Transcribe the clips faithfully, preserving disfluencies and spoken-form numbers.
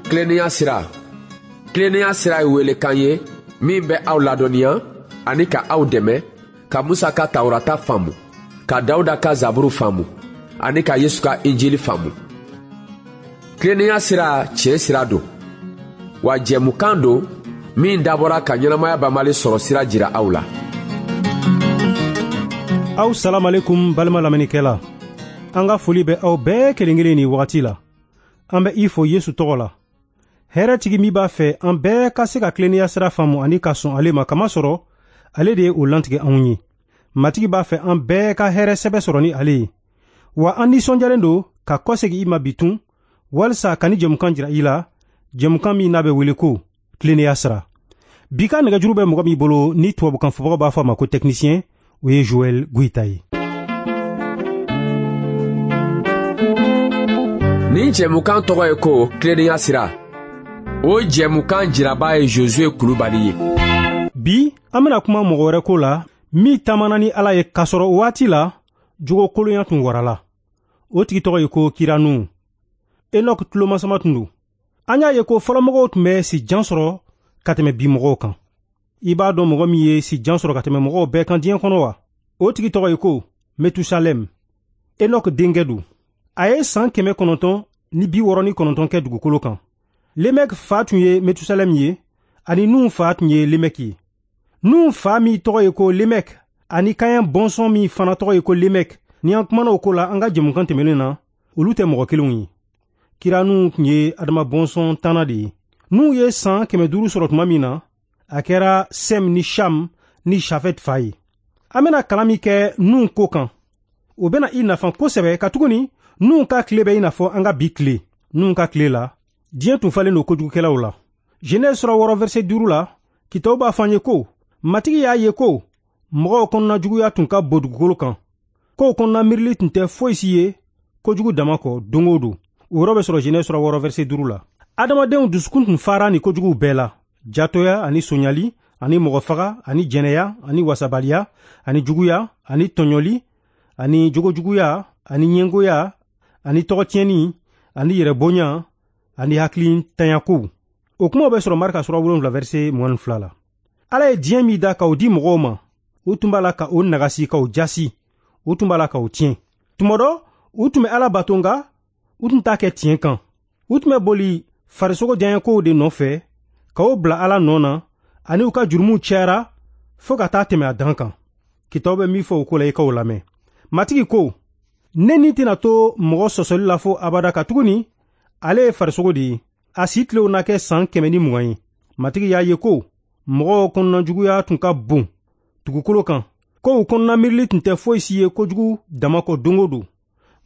Tilennenya sira. Tilennenya sira ye welekan ye min bɛ aw ladɔnniya ani ka aw dɛmɛ ka Musa ka Tawurata faamu, ka Dawuda ka Zaburu faamu ani ka Yesu ka Injili faamu. Tilennenya sira tiɲɛ sira don, wa jɛmukan don min dabɔra ka ɲɛnamaya banbali sɔrɔ sira jira aw la. Aw salamalekum balima lamɛnnikɛla. An ka foli bɛ aw bɛɛ kelen kelen nin wagati la. An bɛ i fo Yesu tɔgɔ la. Hɛrɛtigi min b'a fɛ an bɛɛ ka se ka tilennenya sira faamu ani ka sɔn ale ma, kamasɔrɔ ale de ye o lantigɛ anw ye. Matigi b'a fɛ an bɛɛ ka hɛrɛ sɛbɛ sɔrɔ ni ale ye. Wa an nisɔndiyalen don ka kɔsegin i ma bi tun walisa ka ni jɛmukan jira i la, jɛmukan min n'a bɛ wele ko tilennenya sira. Bi ka nɛgɛjuru bɛ mɔgɔ min bolo ni tubabukan fɔbagaw b'a fɔ a ma ko technicien, o ye Joël Goïta ye. Nin jɛmukan tɔgɔ ye ko tilennenya sira. O jɛmukan jiraba ye Josué Kulubali ye. Bi an bɛna kuma mɔgɔ wɛrɛ ko la min taamana ni Ala ye k'a sɔrɔ o waati la jogo kolonya tun warala. O tigi tɔgɔ ye ko Kira Nuhu. Enoch tulomasama tun don. An y'a ye ko fɔlɔmɔgɔw tun bɛ si jan sɔrɔ ka tɛmɛ bi mɔgɔw kan. I b'a dɔn mɔgɔ min ye si jan sɔrɔ ka tɛmɛ mɔgɔw bɛɛ kan diɲɛ kɔnɔ wa? O tigi tɔgɔ ye ko Metusalem. Enoch denkɛ don. A ye san kɛmɛ kɔnɔntɔn ni bi wɔɔrɔ ni kɔnɔntɔn kɛ dugukolo kan. Lemɛk fa tun ye Metusalem ye, ani Nuhu fa tun ye Lemɛk ye. Nuhu fa min tɔgɔ ye ko Lemɛk, ani Kaɲan bɔnsɔn min fana tɔgɔ ye ko Lemɛk, ni an kumana o ko la an ka jɛmukan tɛmɛnen na, olu tɛ mɔgɔ kelenw ye. Kira Nuhu tun ye Adama bɔnsɔn tanna de ye. Nuhu ye san kɛmɛ duuru sɔrɔ tuma min na, a kɛra Sɛm ni Sham ni Shafet fa ye. An bɛna kalan min kɛ Nuhu ko kan, o bɛna i nafa kosɛbɛ, katuguni Nuhu ka tile bɛ i n'a fɔ an ka bi tile. Nuhu ka tile la, diɲɛ tun falen don kojugukɛlaw la. Genèse sura wɔɔrɔ verset duuru la, kitabu b'a fɔ an ye ko Matigi y'a ye ko mɔgɔw kɔnɔna juguya tun ka bon dugukolo kan, kow kɔnɔna miirili tun tɛ foyi si ye kojugu dama kɔ don o don. O yɔrɔ bɛ sɔrɔ Genèse sura wɔɔrɔ verset duuru la. Adamadenw dusukun tun fara ni kojuguw bɛɛ la: jatɔya ani sonyali ani mɔgɔfaga ani jɛnɛya ani wasabaliya ani juguya ani tɔɲɔli ani jogojuguya ani ɲɛngoya ani tɔgɔtiɲɛni ani yɛrɛbonya ani hakilintanya-kow. O kumaw bɛ sɔrɔ Marika sura wolonwula verset mugan ni fila la. Ala ye diɲɛ min da k'o di mɔgɔw ma, u tun b'a la ka o nagasi, k'o jasi, u tun b'a la k'o tiɲɛ. Tuma dɔ, u tun bɛ Ala bato, nka u tun t'a kɛ tiɲɛ kan. U tun bɛ boli farisogo diyaɲɛkow de nɔfɛ k'o bila Ala nɔ na, ani u ka jurumuw cayara fo ka taa tɛmɛ a dan kan. Kitabu bɛ min fɔ o ko la, i k'o lamɛn. Matigi ko, ne ni tɛna to mɔgɔ sɔsɔli la fo abada, katuguni ale ye farisogo de ye. A si tilew na kɛ san kɛmɛ ni mugan ye. Matigi y'a ye ko mɔgɔw kɔnɔna juguya tun ka bon dugukolo kan, kow kɔnɔna miirili tun tɛ foyi si ye kojugu dama kɔ don o don.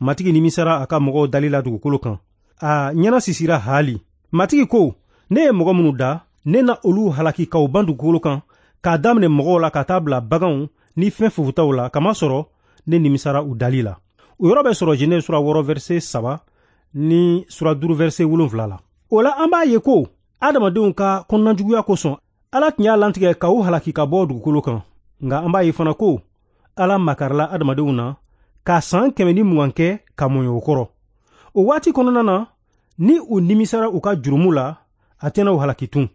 Matigi nimisara a ka mɔgɔw dali la dugukolo kan. A ɲɛna sisira haali. Matigi ko, ne ye mɔgɔ minnu da, ne na olu halaki k'u ban dugukolo kan, k'a daminɛ mɔgɔw la ka taa bila baganw ni fɛn fofutaw la, kamasɔrɔ ne nimisara u dali la. O yɔrɔ bɛ sɔrɔ Genèse sura wɔɔrɔ verset saba ni sura duuru verset wolonwula la. O la an b'a ye ko adamadenw ka kɔnɔnajuguya kosɔn, Ala tun y'a lantigɛ ka u halaki ka bɔ dugukolo kan. Nka an b'a ye fana ko Ala makarila adamadenw na ka san kɛmɛ ni mugan kɛ ka mɔɲɔ o kɔrɔ. O waati kɔnɔna na, ni u nimisara u ka jurumu la, a tɛna u halaki tun.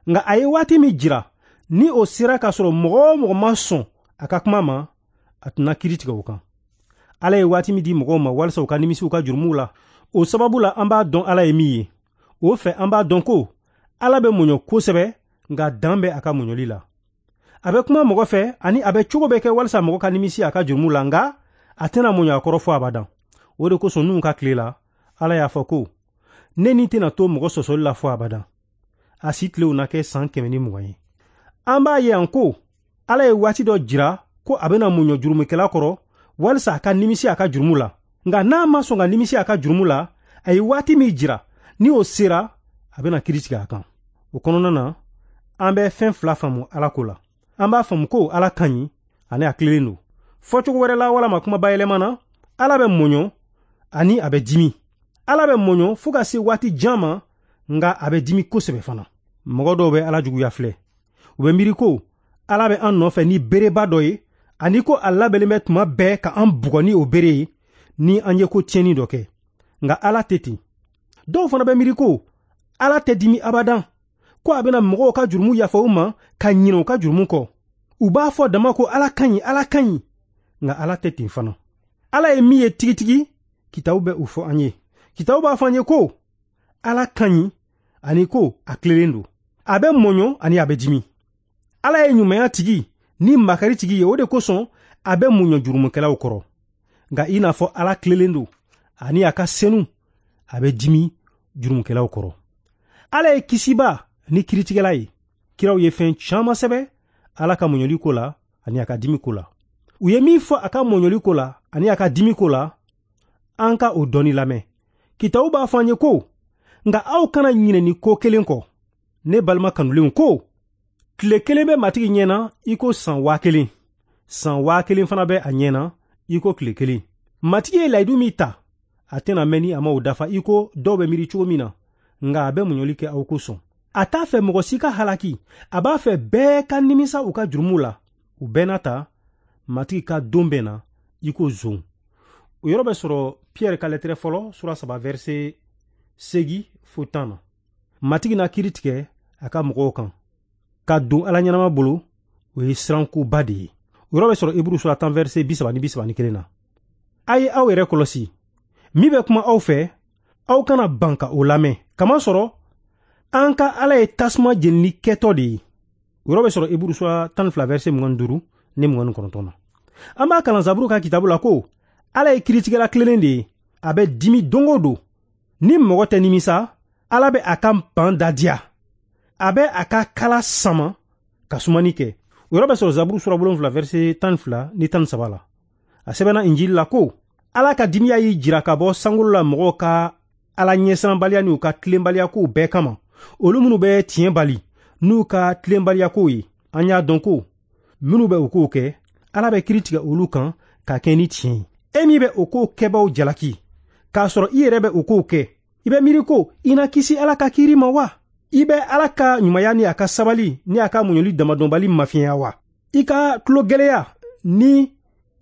Nka a ye waati min jira, ni o sera k'a sɔrɔ mɔgɔ o mɔgɔ ma sɔn a ka kuma ma, a tɛna kiiri tigɛ o kan. Ala ye waati min di mɔgɔw ma walisa u ka nimisi u ka jurumuw la, o sababu la an b'a dɔn Ala ye min ye. O fɛ an b'a dɔn ko Ala bɛ muɲu kosɛbɛ, nka dan bɛ a ka muɲuli la. A bɛ kuma mɔgɔ fɛ ani a bɛ cogo bɛɛ kɛ walisa mɔgɔ ka nimisi a ka jurumu la, nka a tɛna muɲu a kɔrɔ fo abadan. O de kosɔn Nuhu ka tile la, Ala y'a fɔ ko ne ni tɛna to mɔgɔ sɔsɔli la fo abadan. A si tilew na kɛ san kɛmɛ ni mugan ye. An b'a ye yan ko Ala ye waati dɔ jira ko a bɛna muɲu jurumukɛla kɔrɔ walisa a ka nimisi a ka jurumu la. Nka n'a ma sɔn ka nimisi a ka jurumu la, a ye waati min jira, ni o sera, a bɛna kiiri tigɛ a kan. O kɔnɔna na, an bɛ fɛn fila faamu Ala ko la. An b'a faamu ko Ala ka ɲi ani a tilennen don. Fɔcogo wɛrɛ la walama kuma bayɛlɛma na, Ala bɛ mɔɲɔ ani a bɛ dimi. Ala bɛ mɔɲɔ fo ka se waati jan ma, nka a bɛ dimi kosɛbɛ fana. Mɔgɔ dɔw bɛ Ala juguya filɛ. U bɛ miiri ko Ala bɛ an nɔfɛ ni bereba dɔ ye, ani ko a labɛnnen bɛ tuma bɛɛ ka an bugɔ ni o bere ye ni an ye ko tiɲɛni dɔ kɛ. Nka Ala tɛ ten. Dɔw fana bɛ miiri ko Ala tɛ dimi abadan, ko a bɛna mɔgɔw ka jurumu yafa u ma ka ɲinɛ u ka jurumu kɔ. U b'a fɔ dama ko Ala ka ɲi, Ala ka ɲi, nka Ala tɛ ten fana. Ala ye min ye tigitigi, kitabu bɛ o fɔ an ye. Kitabu b'a fɔ an ye ko Ala ka ɲi ani ko a tilelen don. A bɛ mɔɲɔ ani a bɛ dimi. Ala ye ɲumanya tigi ni makari tigi ye, o de kosɔn a bɛ muɲɔ jurumukɛlaw kɔrɔ. Nka i n'a fɔ Ala tilelen don ani a ka senu, a bɛ dimi jurumukɛlaw kɔrɔ. Ala ye kisiba ni kiritigɛla ye. Kiraw ye fɛn caman sɛbɛn Ala ka muɲɔli ko la ani a ka dimi ko la. U ye min fɔ a ka mɔɲɔli ko la ani a ka dimi ko la, an ka o dɔɔni lamɛn. Kitabu b'a fɔ an ye ko, nka aw kana ɲinɛ nin ko kelen kɔ. Ne balima kanulenw ko, tile kelen bɛ Matigi ɲɛna i ko san waa kelen. San waa kelen fana bɛ a ɲɛna i ko tile kelen. Matigi ye layidu min ta, a tɛna mɛn ni a ma o dafa i ko dɔw bɛ miiri cogo min na, nka a bɛ muɲɔli kɛ aw kosɔn. A t'a fɛ mɔgɔ si ka halaki, a b'a fɛ bɛɛ ka nimisa u ka jurumu la. U bɛɛ n'a ta, Matigi ka don bɛ na i ko zon. O yɔrɔ bɛ sɔrɔ Pierre ka lɛtɛrɛ fɔlɔ sura saba verset segi fo tan na. Matigi na kiiri tigɛ a ka mɔgɔw kan. Ka don Ala ɲɛnama bolo, o ye sirankoba de ye. O yɔrɔ bɛ sɔrɔ Heburu sura tan verset bi saba ni bi saba ni kelen na. A ye aw yɛrɛ kɔlɔsi. Min bɛ kuma aw fɛ, aw kana ban ka o lamɛn. Kamasɔrɔ an ka Ala ye tasuma jenili kɛtɔ de ye. O yɔrɔ bɛ sɔrɔ Heburu sura tan ni fila verset mugan ni duuru ni mugan ni kɔnɔntɔn na. An b'a kalan Zaburu ka kitabu la ko Ala ye kiritigɛla tilelen de ye. A bɛ dimi don o don. Ni mɔgɔ tɛ nimisa, Ala bɛ a ka ban da diya. A bɛ a ka kala sama ka sumani kɛ. O yɔrɔ bɛ sɔrɔ Zaburu sura wolonwula verset tan ni fila ni tan ni saba la. A sɛbɛnna Injili la ko Ala ka dimiya y'i jira ka bɔ sankolo la mɔgɔw ka Ala ɲɛsiranbaliya n'u ka tilenbaliya kow bɛɛ kama. Olu minnu bɛ tiɲɛ bali n'u ka tilenbaliya kow ye, an y'a dɔn ko minnu bɛ o kow kɛ, Ala bɛ kiiri tigɛ olu kan ka kɛ ni tiɲɛ ye. E min bɛ o kow kɛbaaw jalaki, k'a sɔrɔ i yɛrɛ bɛ o kow kɛ, i bɛ miiri ko i na kisi Ala ka kiiri ma wa? I bɛ Ala ka ɲumanya ni a ka sabali ni a ka muɲuli damadɔnbali mafiɲɛya wa? I ka tulogɛlɛya ni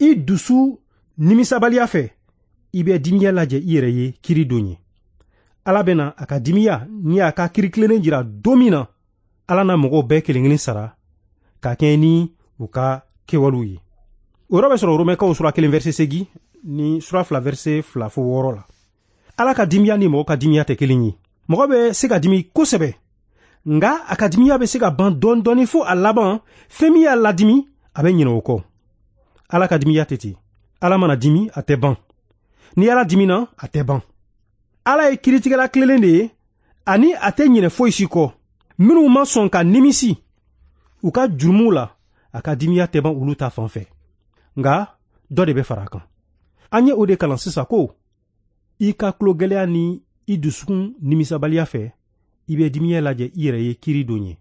i dusu nimisabaliya fɛ, i bɛ dimiya lajɛ i yɛrɛ ye kiiri don ye. Ala bɛna a ka dimiya ni a ka kiiri tilennen jira don min na, Ala na mɔgɔw bɛɛ kelen kelen sara ka kɛɲɛ ni u ka kɛwalew ye. O yɔrɔ bɛ sɔrɔ Romɛkaw sura kelen verset seegin ni sura fila verset fila fo wɔɔrɔ la. Ala ka dimiya ni mɔgɔ ka dimiya tɛ kelen ye. Mɔgɔ bɛ se ka dimi kosɛbɛ, nka a ka dimiya bɛ se ka ban dɔɔni dɔɔni fo a laban fɛn min y'a ladimi, a bɛ ɲinɛ o kɔ. Ala ka dimiya tɛ ten. Ala mana dimi, a tɛ ban. Ni Ala dimina, a tɛ ban. Ala ye kiritigɛla tilelen de ye, ani a tɛ ɲinɛ foyi si kɔ. Minnu ma sɔn ka nimisi u ka jurumuw la, a ka dimiya tɛ ban olu ta fan fɛ. Nka dɔ de bɛ fara a kan. An ye o de kalan sisan ko i ka tulogɛlɛya ni i dusukun nimisabaliya fɛ, i bɛ dimiya lajɛ i yɛrɛ ye kiiri don ye.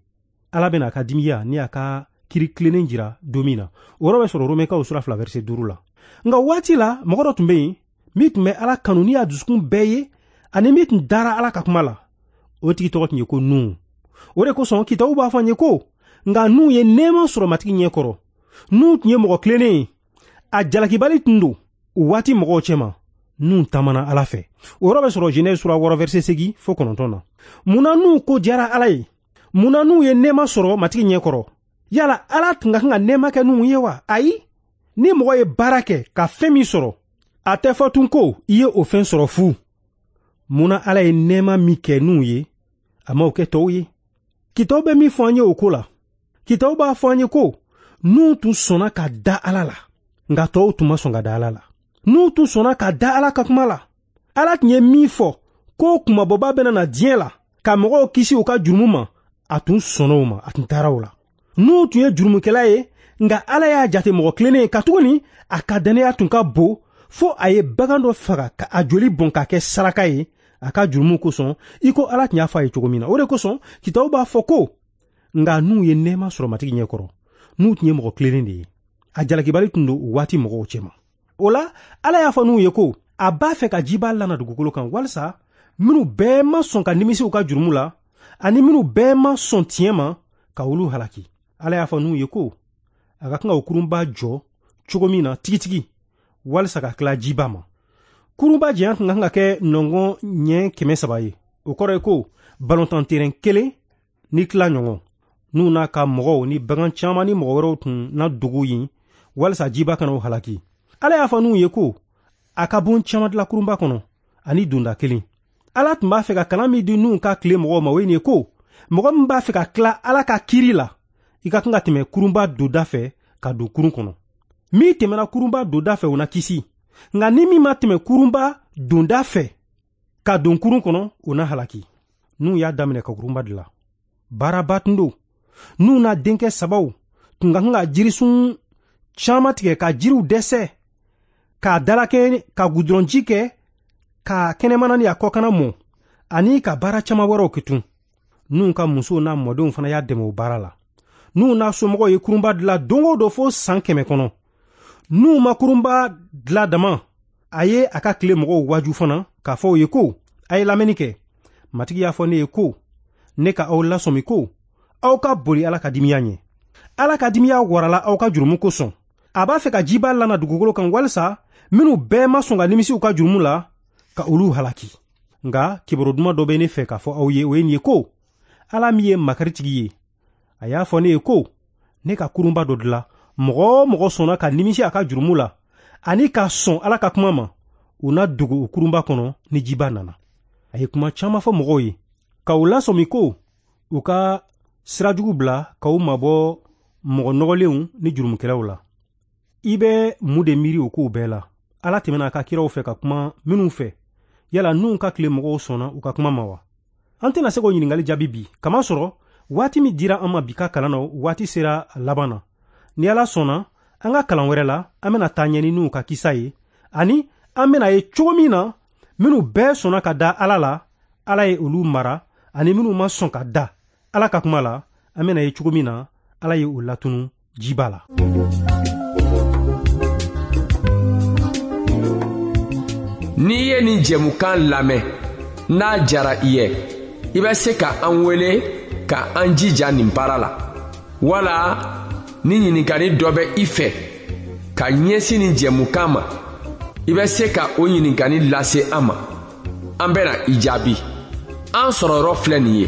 Ala bɛna a ka dimiya ni a ka kiiri tilennen jira don min na. O yɔrɔ bɛ sɔrɔ Romɛkaw sura fila verset duuru la. Nka waati la, mɔgɔ dɔ tun bɛ yen min tun bɛ Ala kanu ni a dusukun bɛɛ ye, ani min tun dara Ala ka kuma la. O tigi tɔgɔ tun ye ko Nuhu. O de kosɔn kitabu b'a fɔ an ye ko nka Nuhu ye nɛɛma sɔrɔ Matigi ɲɛ kɔrɔ. Nuhu tun ye mɔgɔ tilennen ye, a jalakibali tun don o waati mɔgɔw cɛma. Nuhu taamana Ala fɛ. O yɔrɔ bɛ sɔrɔ Genèse sura wɔɔrɔ verset seegin fo kɔnɔntɔn na. Munna Nuhu ko diyara Ala ye? Munna Nuhu ye nɛɛma sɔrɔ Matigi ɲɛ kɔrɔ? Yala Ala tun ka kan ka nɛɛma kɛ Nuhu ye wa? Ayi. Ni mɔgɔ ye baara kɛ ka fɛn min sɔrɔ, a tɛ fɔ tun ko i ye o fɛn sɔrɔ fu. Munna Ala ye nɛɛma min kɛ Nuhu ye, a m'o kɛ tɔw ye? Kitabu bɛ min fɔ an ye o ko la, kitabu b'a fɔ an ye ko Nuhu tun sɔnna ka da Ala la, nka tɔw tun ma sɔn ka da Ala la. Nuhu tun sɔnna ka da Ala ka kuma la. Ala tun ye min fɔ ko kunmabɔba bɛna na diɲɛ la ka mɔgɔw kisi u ka jurumu ma, a tun sɔnna o ma, a tun taara o la. Nuhu tun ye jurumukɛla ye, nka Ala y'a jate mɔgɔ tilennen ye, katuguni a ka dannaya tun ka bon fo a ye bagan dɔ faga ka a joli bɔn ka kɛ saraka ye a ka jurumu kosɔn, i ko Ala tun y'a fɔ a ye cogo min na. O de kosɔn kitabu b'a fɔ ko nka Nuhu ye nɛɛma sɔrɔ Matigi ɲɛ kɔrɔ. Nuhu tun ye mɔgɔ tilennen de ye, a jalakibali tun don o waati mɔgɔw cɛma. O la, Ala y'a fɔ Nuhu ye ko a b'a fɛ ka jiba lana dugukolo kan, walisa minnu bɛɛ ma sɔn ka nimisi u ka jurumu la, ani minnu bɛɛ ma sɔn tiɲɛ ma, ka olu halaki. Ala y'a fɔ Nuhu ye ko a ka kan ka o kurunba jɔ cogo min na tigitigi, walisa ka tila jiba ma. Kurunba janya tun ka kan ka kɛ nɔngɔn ɲɛ kɛmɛ saba ye. O kɔrɔ ye ko balontan terɛn kelen ni tila ɲɔgɔn. N'u n'a ka mɔgɔw ni bagan caman ni mɔgɔ wɛrɛw tun na dogo yen walisa jiba kana o halaki. Ala y'a fɔ Nuhu ye ko a ka bon caman dilan kurunba kɔnɔ ani donda kelen. Ala tun b'a fɛ ka kalan min di Nuhu ka tile mɔgɔw ma, o ye nin ye ko mɔgɔ min b'a fɛ ka tila Ala ka kiri la, i ka kan ka tɛmɛ kurunba donda fɛ ka don kurun kɔnɔ. Min tɛmɛna kurunba donda fɛ, o na kisi, nka ni min ma tɛmɛ kurunba donda fɛ ka don kurun kɔnɔ, o na halaki. Nuhu y'a daminɛ ka kurunba dilan. Baaraba tun don. Nuhu n'a denkɛ sabaw tun ka kan ka jirisun caman tigɛ ka jiriw dɛsɛ, k'a dalakɛ, ka gudɔrɔnji kɛ, ka kɛnɛmana ni a kɔkanna mɔ, ani ka baara caman wɛrɛw kɛ tun. Nuhu ka musow n'a mɔdenw fana y'a dɛmɛ o baara la. Nuhu n'a somɔgɔw ye kurunba dilan don o don fo san kɛmɛ kɔnɔ. Nuhu ma kurunba dilan dama, a ye a ka tile mɔgɔw waaju fana k'a fɔ u ye ko a ye lamɛnni kɛ. Matigi y'a fɔ ne ye ko ne ka aw lasɔmi ko aw ka boli Ala ka dimiya ɲɛ. Ala ka dimiya warala aw ka jurumu kosɔn. A b'a fɛ ka jiba lana dugukolo kan walisa minnu bɛɛ ma sɔn ka nimisi u ka jurumu la, ka olu halaki. Nka kibaru duman dɔ bɛ ne fɛ k'a fɔ aw ye, o ye nin ye ko Ala min ye makaritigi ye, a y'a fɔ ne ye ko ne ka kurunba dɔ dilan. Mɔgɔ o mɔgɔ sɔnna ka nimisi a ka jurumu la ani ka sɔn Ala ka kuma ma, u na dogo o kurunba kɔnɔ ni jiba nana. A ye kuma caman fɔ mɔgɔw ye ka u lasɔmi ko u ka sira jugu bila, ka u mabɔ mɔgɔ nɔgɔlenw ni jurumukɛlaw la. I bɛ mun de miiri o kow bɛɛ la? Ala tɛmɛna a ka kiraw fɛ ka kuma minnu fɛ, yala Nuhu ka tile mɔgɔw sɔnna u ka kuma ma wa? An tɛna se k'o ɲininkali jaabi bi, kamasɔrɔ waati min dira an ma bi ka kalan na, waati sera a laban na. Ni Ala sɔnna, an ka kalan wɛrɛ la, an bɛna taa ɲɛ ni Nuhu ka kisa ye, ani an bɛna ye cogo min na minnu bɛɛ sɔnna ka da Ala la, Ala ye olu mara, ani minnu ma sɔn ka da Ala ka kuma la, an bɛna ye cogo min na Ala ye o latunu jiba la. N'i ye nin jɛmukan lamɛn, n'a jara i ye, i bɛ se ka an wele ka an jija nin baara la. Wala ni ɲininkali dɔ bɛ i fɛ ka ɲɛsin nin jɛmukan ma, i bɛ se ka o ɲininkali lase an ma. An bɛna i jaabi. An sɔrɔ yɔrɔ filɛ nin ye: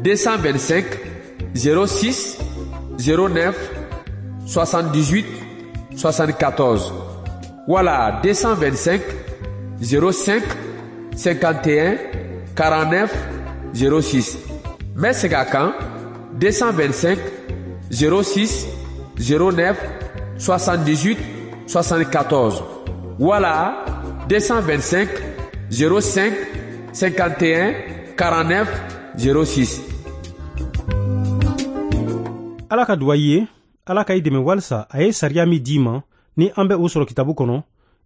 deux cent vingt-cinq zéro six zéro neuf soixante-dix-huit soixante-quatorze wala deux cent vingt-cinq zéro cinq cinquante et un quarante-neuf zéro six. N bɛ segin a kan: deux cent vingt-cinq zéro six zéro neuf soixante-dix-huit soixante-quatorze wala deux cent vingt-cinq zéro cinq cinquante et un quarante-neuf zéro six. Ala ka duwa i ye, Ala ka i dɛmɛ walisa a ye sariya min d'i ma, ni an bɛ o sɔrɔ kitabu kɔnɔ,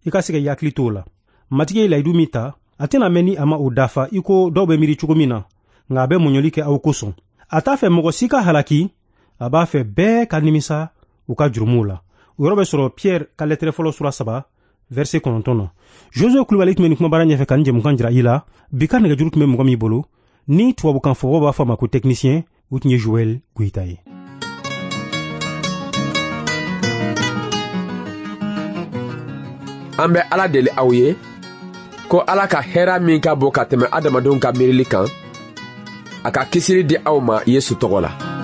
i ka se ka i hakili t'o la. Matigi ye layidu min ta, a tɛna mɛn ni a ma o dafa i ko dɔw bɛ miiri cogo min na, nka a bɛ mɔɲɔli kɛ aw kosɔn. A t'a fɛ mɔgɔ si ka halaki, a b'a fɛ bɛɛ ka nimisa u ka jurumuw la. O yɔrɔ bɛ sɔrɔ Pierre ka lɛtɛrɛ fɔlɔ sura saba verset kɔnɔntɔn na. Josue Kulubali tun bɛ nin kumabara ɲɛfɛ ka nin jɛmukan jira i la. Bi ka nɛgɛjuru tun bɛ mɔgɔ min bolo, ni tubabukan fɔbaw b'a fɔ a ma ko technicien, o tun ye Joël Goyita ye. An bɛ Ala deli aw ye ko Ala ka hɛrɛ min ka bon ka tɛmɛ adamadenw ka miirili kan, a ka kisili di aw ma Yesu tɔgɔ la.